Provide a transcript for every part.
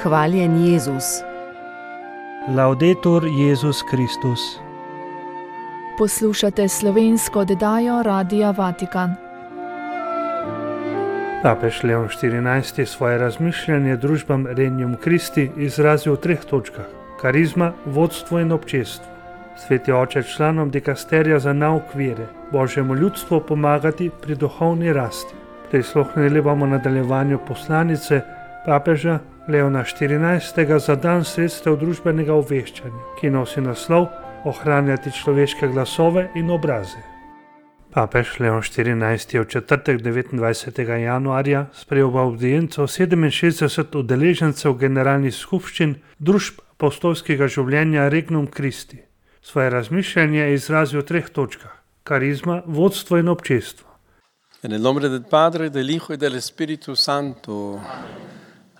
Hvaljen Jezus. Laudetur Jezus Kristus. Poslušate slovensko oddajo Radia Vatikan. Papež Leon XIV. Svoje razmišljanje družbam Regnum Christi izrazil v 3 točkah: karizma, vodstvo in občestvo. Sveti oče članom dikasterija za nauk vere, Božjemu ljudstvu pomagati pri duhovni rasti. Prisluhnili bomo nadaljevanju poslanice papeža Leona XIV. Za dan sredstev družbenega obveščanja, ki nosi naslov Ohranjati človeške glasove in obraze. Papež Leon XIV. Je v četrtek 29. januarja sprejel v avdienco 67 udeležencev generalnih skupščin družb apostolskega življenja Regnum Christi. Svoje razmišljanje je izrazil v 3 točkah: karizma, vodstvo in občestvo. En el nombre del Padre, del Hijo y del Espíritu Santo,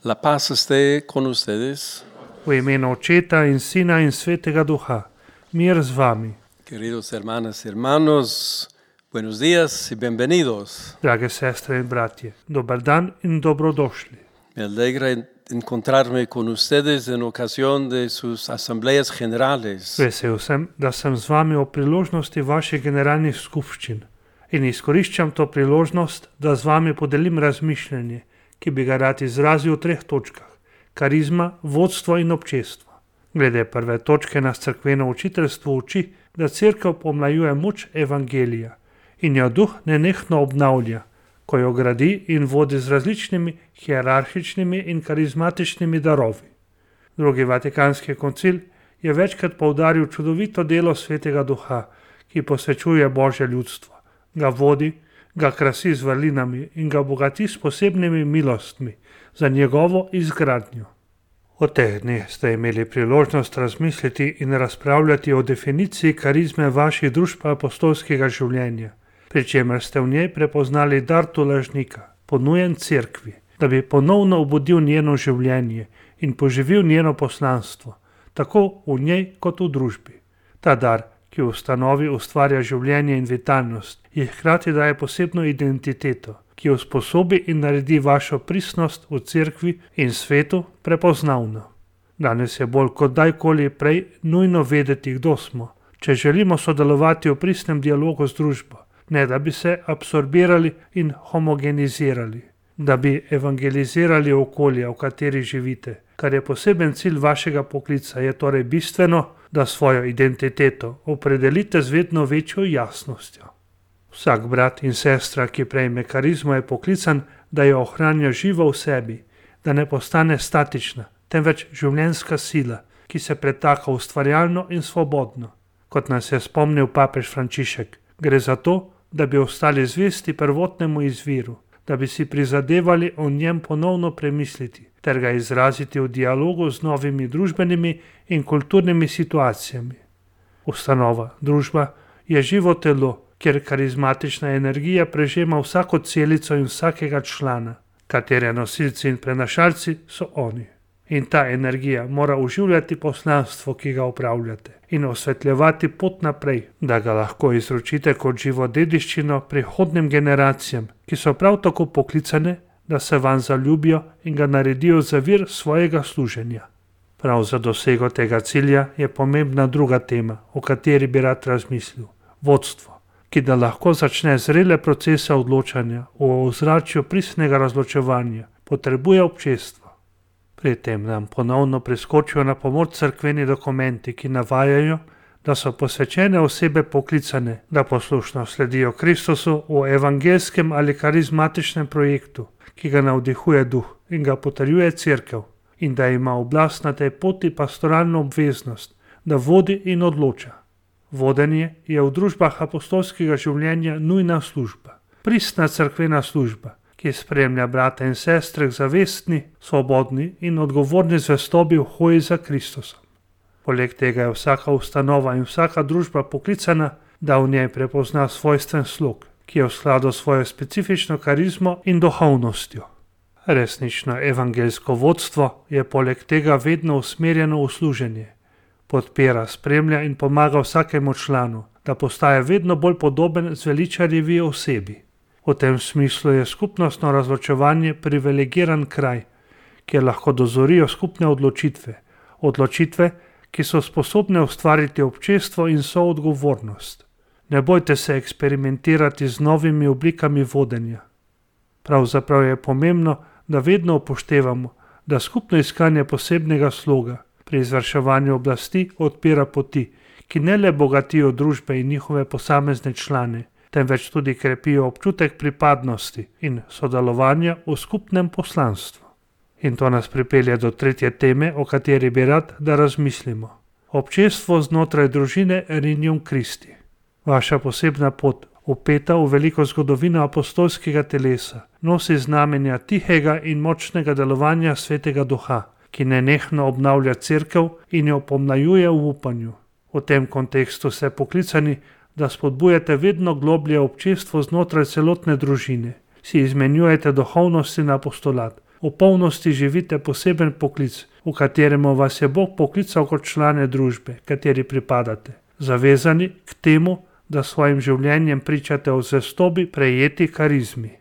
la paz esté con ustedes. V imenu Očeta in Sina in Svetega Duha, mir z vami. Queridos hermanas y hermanos, buenos días y bienvenidos. Drage sestre in bratje, dober dan in dobrodošli. Me alegra encontrarme con ustedes en ocasión de sus asambleas generales. Vesel sem, da sem z vami o priložnosti vaših generalnih skupščin in izkoriščam to priložnost, da z vami podelim razmišljanje, ki bi ga rad izrazil v 3 točkah: karizma, vodstvo in občestvo. Glede prve točke nas cerkveno učiteljstvo uči, da cerkev pomlajuje moč evangelija in jo duh nenehno obnavlja, ko jo gradi in vodi z različnimi hierarhičnimi in karizmatičnimi darovi. Drugi vatikanski koncil je večkrat poudaril čudovito delo Svetega Duha, ki posvečuje Božje ljudstvo, ga vodi, ga krasi z vrlinami in ga bogati s posebnimi milostmi za njegovo izgradnjo. V teh dneh ste imeli priložnost razmisliti in razpravljati o definiciji karizme vaših družb apostolskega življenja, pri čemer ste v njej prepoznali dar tolažnika, ponujen cerkvi, da bi ponovno obudil njeno življenje in poživil njeno poslanstvo, tako v njej kot v družbi. Ta dar, ki v ustanovi ustvarja življenje in vitalnost, ji hkrati daje posebno identiteto, ki usposobi in naredi vašo pristnost v cerkvi in svetu prepoznavno. Danes je bolj kot dajkoli prej nujno vedeti, kdo smo, če želimo sodelovati v pristnem dialogu z družbo, ne da bi se absorbirali in homogenizirali, da bi evangelizirali okolje, v kateri živite. Kar je poseben cilj vašega poklica, je torej bistveno, da svojo identiteto opredelite z vedno večjo jasnostjo. Vsak brat in sestra, ki prejme karizmo, je poklican, da jo ohranja živo v sebi, da ne postane statična, temveč življenjska sila, ki se pretaka ustvarjalno in svobodno. Kot nas je spomnil papež Frančišek, gre za to, da bi ostali zvesti prvotnemu izviru, da bi si prizadevali o njem ponovno premisliti ter ga izraziti v dialogu z novimi družbenimi in kulturnimi situacijami. Ustanova, družba je živo telo, kjer karizmatična energija prežema vsako celico in vsakega člana, katere nosilci in prenašalci so oni. In ta energija mora oživljati poslanstvo, ki ga upravljate, in osvetljevati pot naprej, da ga lahko izročite kot živo dediščino prihodnim generacijam, ki so prav tako poklicane, da se vanj zaljubijo in ga naredijo za vir svojega služenja. Prav za dosego tega cilja je pomembna druga tema, o kateri bi rad razmislil: vodstvo, ki da lahko začne zrele procese odločanja v ozračju pristnega razločevanja, potrebuje občestvo. Pri tem nam ponovno priskočijo na pomoč cerkveni dokumenti, ki navajajo, da so posvečene osebe poklicane, da poslušno sledijo Kristusu v evangelskem ali karizmatičnem projektu, ki ga navdihuje duh in ga potrjuje cerkev, in da ima oblast na tej poti pastoralno obveznost, da vodi in odloča. Vodenje je v družbah apostolskega življenja nujna služba, pristna cerkvena služba, ki spremlja brata in sestre k zavestni, svobodni in odgovorni zvestobi v hoji za Kristusom. Poleg tega je vsaka ustanova in vsaka družba poklicana, da v njej prepozna svojstven slog, ki je v skladu s svojo specifično karizmo in duhovnostjo. Resnično evangelsko vodstvo je poleg tega vedno usmerjeno v služenje. Podpira, spremlja in pomaga vsakemu članu, da postaje vedno bolj podoben zveličarjevi osebi. V tem smislu je skupnostno razločevanje privilegiran kraj, kjer lahko dozorijo skupne odločitve. Odločitve, ki so sposobne ustvariti občestvo in soodgovornost. Ne bojte se eksperimentirati z novimi oblikami vodenja. Pravzaprav je pomembno, da vedno upoštevamo, da skupno iskanje posebnega sloga pri izvrševanju oblasti odpira poti, ki ne le bogatijo družbe in njihove posamezne člane, temveč tudi krepijo občutek pripadnosti in sodelovanja v skupnem poslanstvu. In to nas pripelje do tretje teme, o kateri bi rad, da razmislimo. Občestvo znotraj družine Regnum Christi. Vaša posebna pot, vpeta v veliko zgodovino apostolskega telesa, nosi znamenja tihega in močnega delovanja Svetega Duha, ki nenehno obnavlja cerkev in jo pomlajuje v upanju. V tem kontekstu ste poklicani, da spodbujate vedno globlje občestvo znotraj celotne družine, si izmenjujete duhovnost in apostolat, v polnosti živite poseben poklic, v kateremu vas je Bog poklical kot člane družbe, kateri pripadate, zavezani k temu, da svojim življenjem pričate o zvestobi prejeti karizmi.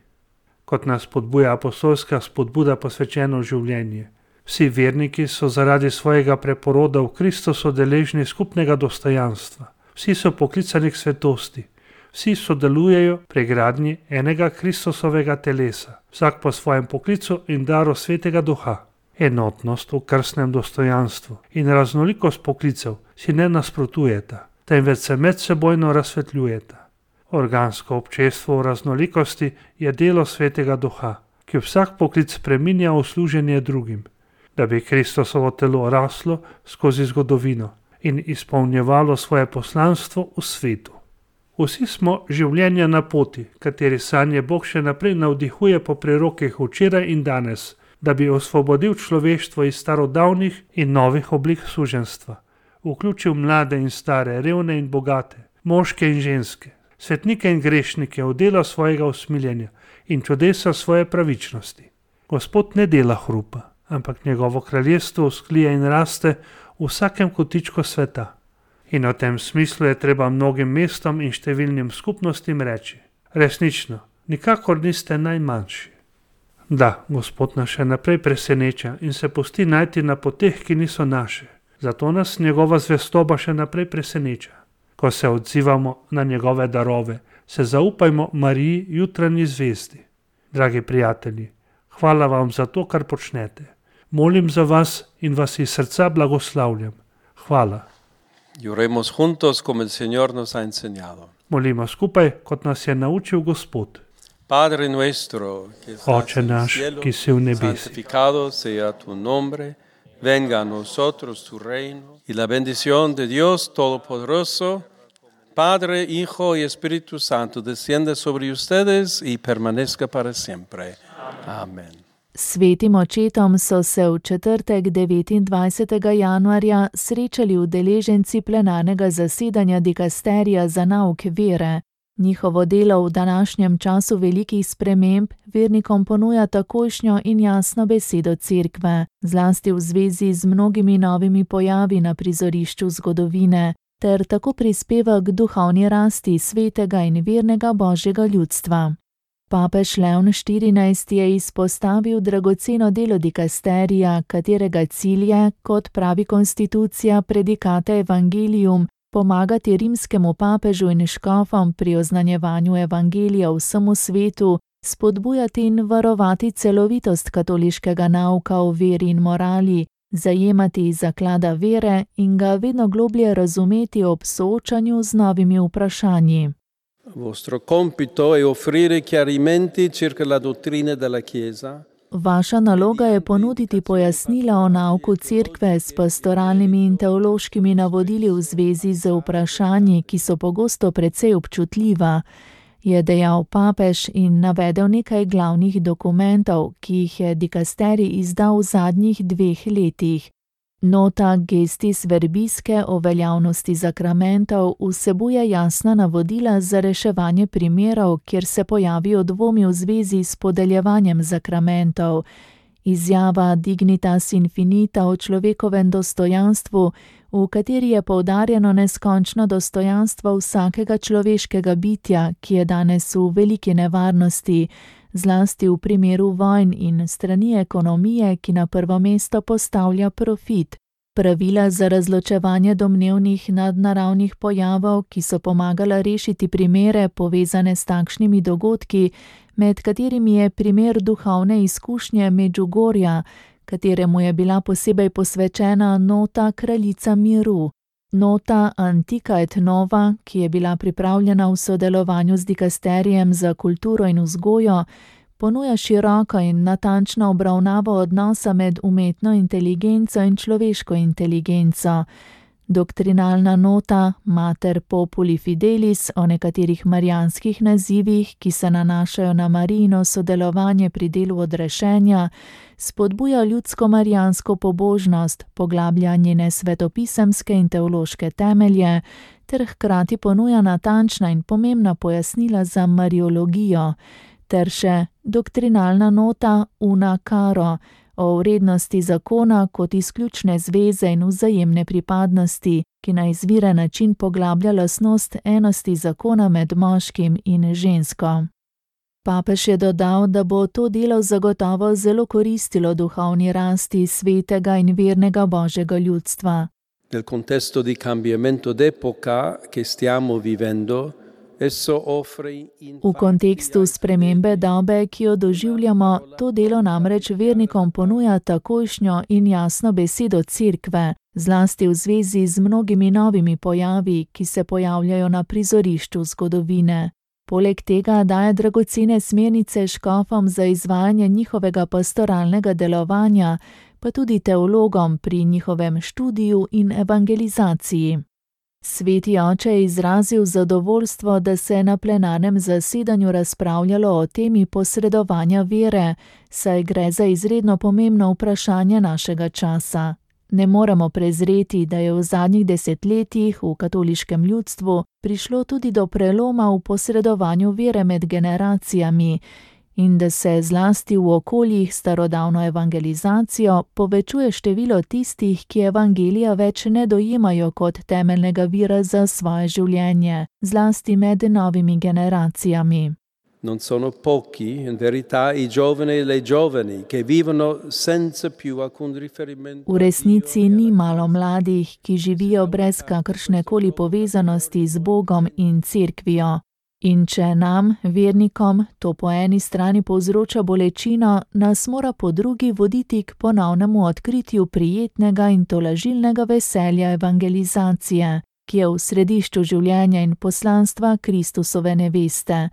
Kot nas spodbuja apostolska spodbuda posvečeno življenje. Vsi verniki so zaradi svojega preporoda v Kristusu deležni skupnega dostojanstva. Vsi so poklicani k svetosti. Vsi sodelujejo pri gradnji enega Kristusovega telesa, vsak po svojem poklicu in daru Svetega Duha. Enotnost v krstnem dostojanstvu in raznolikost poklicev si ne nasprotujeta, temveč se medsebojno razsvetljujeta. Organsko občestvo v raznolikosti je delo Svetega Duha, ki vsak poklic spreminja v služenje drugim, da bi Kristusovo telo raslo skozi zgodovino in izpolnjevalo svoje poslanstvo v svetu. Vsi smo življenja na poti, kateri sanje Bog še naprej navdihuje po prerokih včeraj in danes, da bi osvobodil človeštvo iz starodavnih in novih oblik suženstva, vključil mlade in stare, revne in bogate, moške in ženske, svetnike in grešnike v delo svojega usmiljenja in čudesa svoje pravičnosti. Gospod ne dela hrupa, ampak njegovo kraljestvo vzklije in raste v vsakem kotičku sveta. In v tem smislu je treba mnogim mestom in številnim skupnostim reči: resnično, nikakor niste najmanjši. Da, Gospod nas še naprej preseneča in se pusti najti na poteh, ki niso naše. Zato nas njegova zvestoba še naprej preseneča. Ko se odzivamo na njegove darove, se zaupajmo Mariji jutranji zvezdi. Dragi prijatelji, hvala vam za to, kar počnete. Molim za vas in vas iz srca blagoslavljam. Hvala. Y oremos juntos como el Señor nos ha enseñado. Molimo skupaj, kot nas je naučil Gospod. Padre nuestro, que estás Oče en el naš, cielo, ki si v nebesih. santificado sea tu nombre, venga a nosotros tu reino y la bendición de Dios Todopoderoso, Padre, Hijo y Espíritu Santo, descienda sobre ustedes y permanezca para siempre. Amen. Svetim očetom so se v četrtek 29. januarja srečali udeleženci plenarnega zasedanja dikasterija za nauk vere. Njihovo delo v današnjem času velikih sprememb vernikom ponuja takojšnjo in jasno besedo cerkve, zlasti v zvezi z mnogimi novimi pojavi na prizorišču zgodovine, ter tako prispeva k duhovni rasti svetega in vernega Božjega ljudstva. Papež Leon XIV je izpostavil dragoceno delo dikasterija, katerega cilj je, kot pravi konstitucija predikata Evangelium, pomagati rimskemu papežu in škofom pri oznanjevanju evangelija vsemu svetu, spodbujati in varovati celovitost katoliškega nauka o veri in morali, zajemati zaklada vere in ga vedno globlje razumeti ob soočanju z novimi vprašanji. Vostro compito è offrire chiarimenti circa la dottrina della Chiesa. Vaša naloga je ponuditi pojasnila o nauku cerkve s pastoralnimi in teološkimi navodili v zvezi z vprašanji, ki so pogosto precej občutljiva, je dejal papež in navedel nekaj glavnih dokumentov, ki jih je dikasterij izdal v zadnjih 2 letih. Nota Gestis Verbiske o veljavnosti zakramentov vsebuje jasna navodila za reševanje primerov, kjer se pojavijo dvomi v zvezi s podeljevanjem zakramentov. Izjava Dignitas Infinita o človekovem dostojanstvu, v kateri je poudarjeno neskončno dostojanstvo vsakega človeškega bitja, ki je danes v veliki nevarnosti, zlasti v primeru vojn in strani ekonomije, ki na prvo mesto postavlja profit. Pravila za razločevanje domnevnih nadnaravnih pojavov, ki so pomagala rešiti primere povezane s takšnimi dogodki, med katerimi je primer duhovne izkušnje Medžugorja, kateremu je bila posebej posvečena nota Kraljica miru. Nota Antica et Nova, ki je bila pripravljena v sodelovanju z dikasterijem za kulturo in vzgojo, ponuja široko in natančno obravnavo odnosa med umetno inteligenco in človeško inteligenco. Doktrinalna nota Mater Populi Fidelis o nekaterih marijanskih nazivih, ki se nanašajo na Marijino sodelovanje pri delu odrešenja, spodbuja ljudsko marijansko pobožnost, poglablja njene svetopisemske in teološke temelje, ter hkrati ponuja natančna in pomembna pojasnila za mariologijo, ter še doktrinalna nota Una Caro o vrednosti zakona kot izključne zveze in vzajemne pripadnosti, ki na izviren način poglablja lastnost enosti zakona med moškim in žensko. Papež je dodal, da bo to delo zagotovo zelo koristilo duhovni rasti svetega in vernega Božjega ljudstva. Nel contesto di cambiamento d'epoca che stiamo vivendo, v kontekstu spremembe dobe, ki jo doživljamo, to delo namreč vernikom ponuja takojšnjo in jasno besedo Cerkve, zlasti v zvezi z mnogimi novimi pojavi, ki se pojavljajo na prizorišču zgodovine. Poleg tega daje dragocene smernice škofom za izvajanje njihovega pastoralnega delovanja, pa tudi teologom pri njihovem študiju in evangelizaciji. Sveti oče je izrazil zadovoljstvo, da se je na plenarnem zasedanju razpravljalo o temi posredovanja vere, saj gre za izredno pomembno vprašanje našega časa. Ne moremo prezreti, da je v zadnjih desetletjih v katoliškem ljudstvu prišlo tudi do preloma v posredovanju vere med generacijami in da se zlasti v okoljih s starodavno evangelizacijo povečuje število tistih, ki evangelija več ne dojemajo kot temeljnega vira za svoje življenje, zlasti med novimi generacijami. Non sono pochi, in verità, i giovani e le giovani che vivono senza più alcun riferimento. V resnici ni malo mladih, ki živijo brez kakršnekoli povezanosti z Bogom in Cerkvijo. In če nam, vernikom, to po eni strani povzroča bolečino, nas mora po drugi voditi k ponovnemu odkritju prijetnega in tolažilnega veselja evangelizacije, ki je v središču življenja in poslanstva Kristusove neveste,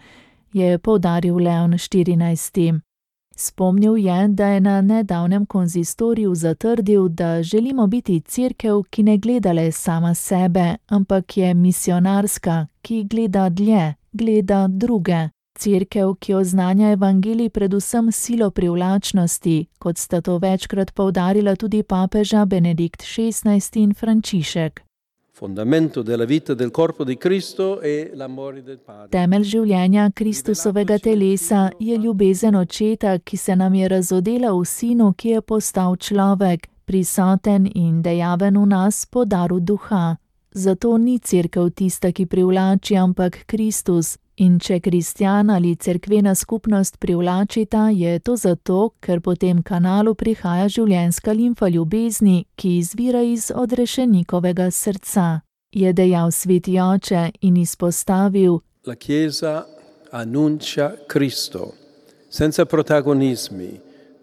je poudaril Leon XIV. Spomnil je, da je na nedavnem konzistoriju zatrdil, da želimo biti cerkev, ki ne gleda le sama sebe, ampak je misionarska, ki gleda dlje, gleda druge. Cerkev, ki oznanja evangelij predvsem silo privlačnosti, kot sta to večkrat poudarila tudi papeža Benedikt XVI in Frančišek. Fondamento della vita del corpo di Cristo è l'amore del Padre. Temelj življenja Kristusovega telesa je ljubezen Očeta, ki se nam je razodela v Sinu, ki je postal človek, prisoten in dejaven v nas po daru duha. Zato ni cerkev tista, ki privlači, ampak Kristus. In če kristjan ali cerkvena skupnost privlačita, je to zato, ker po tem kanalu prihaja življenjska limfa ljubezni, ki izvira iz odrešenikovega srca, je dejal sveti oče in izpostavil: La Chiesa annuncia Cristo, senza protagonismi,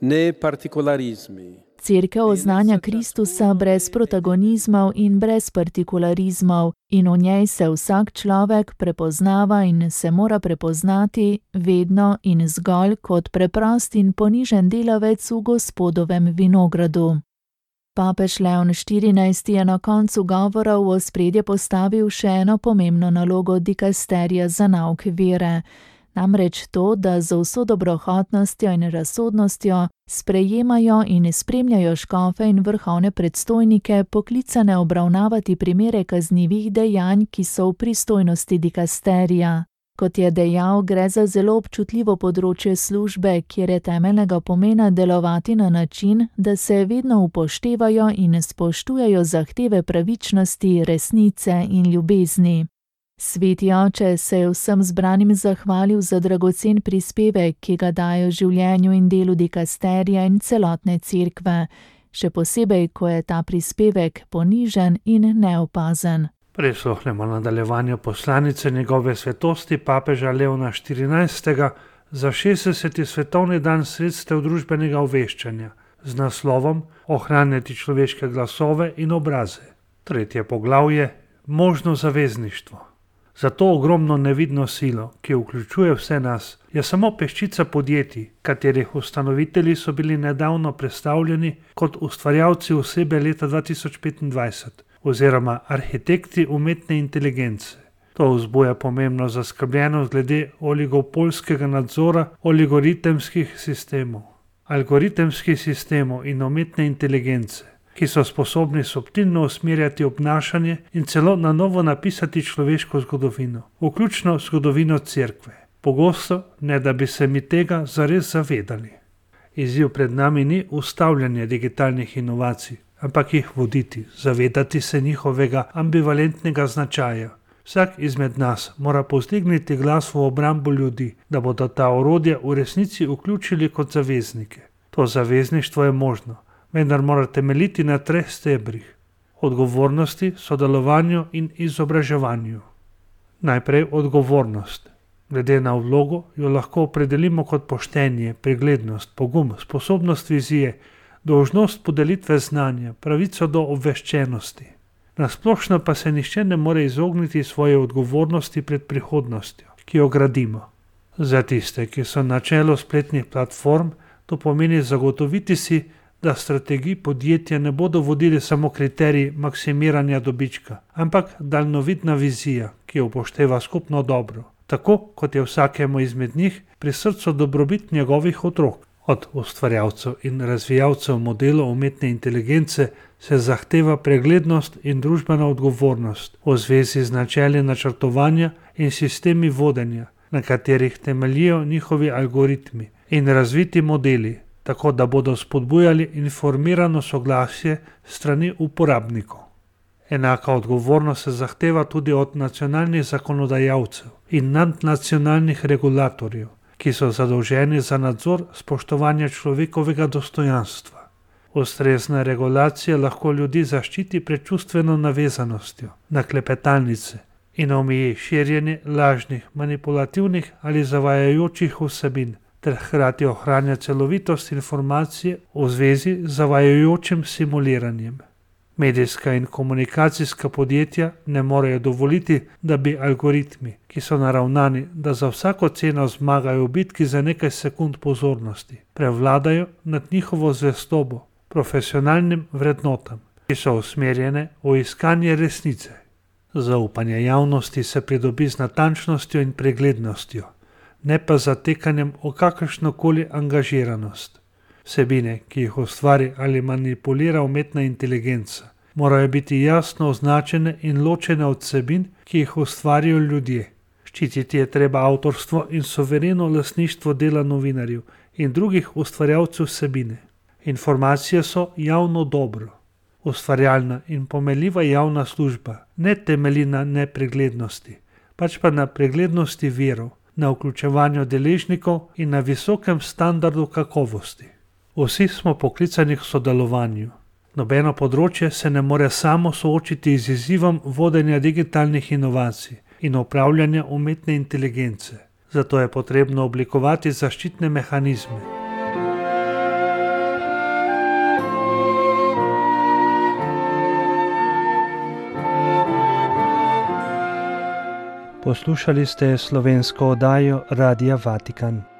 né particolarismi. Cerkev oznanja Kristusa brez protagonizmov in brez partikularizmov in v njej se vsak človek prepoznava in se mora prepoznati vedno in zgolj kot preprost in ponižen delavec v Gospodovem vinogradu. Papež Leon XIV je na koncu govora v ospredje postavil še eno pomembno nalogo dikasterija za nauk vere. Namreč to, da z vso dobrohotnostjo in razsodnostjo sprejemajo in spremljajo škofe in vrhovne predstojnike, poklicane obravnavati primere kaznivih dejanj, ki so v pristojnosti dikasterija. Kot je dejal, gre za zelo občutljivo področje službe, kjer je temeljnega pomena delovati na način, da se vedno upoštevajo in spoštujejo zahteve pravičnosti, resnice in ljubezni. Sveti oče se je vsem zbranim zahvalil za dragocen prispevek, ki ga dajo življenju in delu dikasterija in celotne cerkve, še posebej, ko je ta prispevek ponižen in neopazen. Prisluhnemo nadaljevanju poslanice njegove svetosti papeža Leona XIV. Za 60. svetovni dan sredstev družbenega obveščanja z naslovom Ohranjati človeške glasove in obraze. 3. poglavje Možno zavezništvo. Za to ogromno nevidno silo, ki vključuje vse nas, je samo peščica podjetij, katerih ustanovitelji so bili nedavno predstavljeni kot ustvarjalci osebe leta 2025 oziroma arhitekti umetne inteligence. To vzbuja pomembno zaskrbljenost glede oligopolskega nadzora algoritemskih sistemov in umetne inteligence, ki so sposobni subtilno usmerjati obnašanje in celo na novo napisati človeško zgodovino, vključno zgodovino cerkve. Pogosto, ne da bi se mi tega zares zavedali. Izziv pred nami ni ustavljanje digitalnih inovacij, ampak jih voditi, zavedati se njihovega ambivalentnega značaja. Vsak izmed nas mora povzdigniti glas v obrambo ljudi, da bodo ta orodja v resnici vključili kot zaveznike. To zavezništvo je možno, vendar mora temeljiti na 3 stebrih: odgovornosti, sodelovanju in izobraževanju. Najprej odgovornost. Glede na vlogo jo lahko opredelimo kot poštenje, preglednost, pogum, sposobnost vizije, dolžnost podelitve znanja, pravico do obveščenosti. Nasplošno pa se nihče ne more izogniti svoje odgovornosti pred prihodnostjo, ki jo gradimo. Za tiste, ki so na čelu spletnih platform, to pomeni zagotoviti si, da strategij podjetja ne bodo vodili samo kriteriji maksimiranja dobička, ampak daljnovidna vizija, ki upošteva skupno dobro, tako kot je vsakemu izmed njih pri srcu dobrobit njegovih otrok. Od ustvarjalcev in razvijalcev modelov umetne inteligence se zahteva preglednost in družbena odgovornost v zvezi z načeli načrtovanja in sistemi vodenja, na katerih temeljijo njihovi algoritmi in razviti modeli, tako da bodo spodbujali informirano soglasje strani uporabnikov. Enaka odgovornost se zahteva tudi od nacionalnih zakonodajalcev in nadnacionalnih regulatorjev, ki so zadolženi za nadzor spoštovanja človekovega dostojanstva. Ustrezna regulacija lahko ljudi zaščiti pred čustveno navezanostjo na klepetalnice in omeji širjenje lažnih, manipulativnih ali zavajajočih vsebin, ter hkrati ohranja celovitost informacije v zvezi z zavajajočim simuliranjem. Medijska in komunikacijska podjetja ne morejo dovoliti, da bi algoritmi, ki so naravnani, da za vsako ceno zmagajo v bitki za nekaj sekund pozornosti, prevladajo nad njihovo zvestobo, profesionalnim vrednotam, ki so usmerjene v iskanje resnice. Zaupanje javnosti se pridobi z natančnostjo in preglednostjo, ne pa zatekanjem v kakršnokoli angažiranost. Vsebine, ki jih ustvari ali manipulira umetna inteligenca, morajo biti jasno označene in ločene od vsebin, ki jih ustvarijo ljudje. Ščititi je treba avtorstvo in suvereno lastništvo dela novinarjev in drugih ustvarjalcev vsebine. Informacije so javno dobro. Ustvarjalna in pomenljiva javna služba ne temelji na nepreglednosti, pač pa na preglednosti virov, na vključevanju deležnikov in na visokem standardu kakovosti. Vsi smo poklicani k sodelovanju. Nobeno področje se ne more samo soočiti z izzivom vodenja digitalnih inovacij in upravljanja umetne inteligence. Zato je potrebno oblikovati zaščitne mehanizme. Poslušali ste slovensko oddajo Radia Vatikan.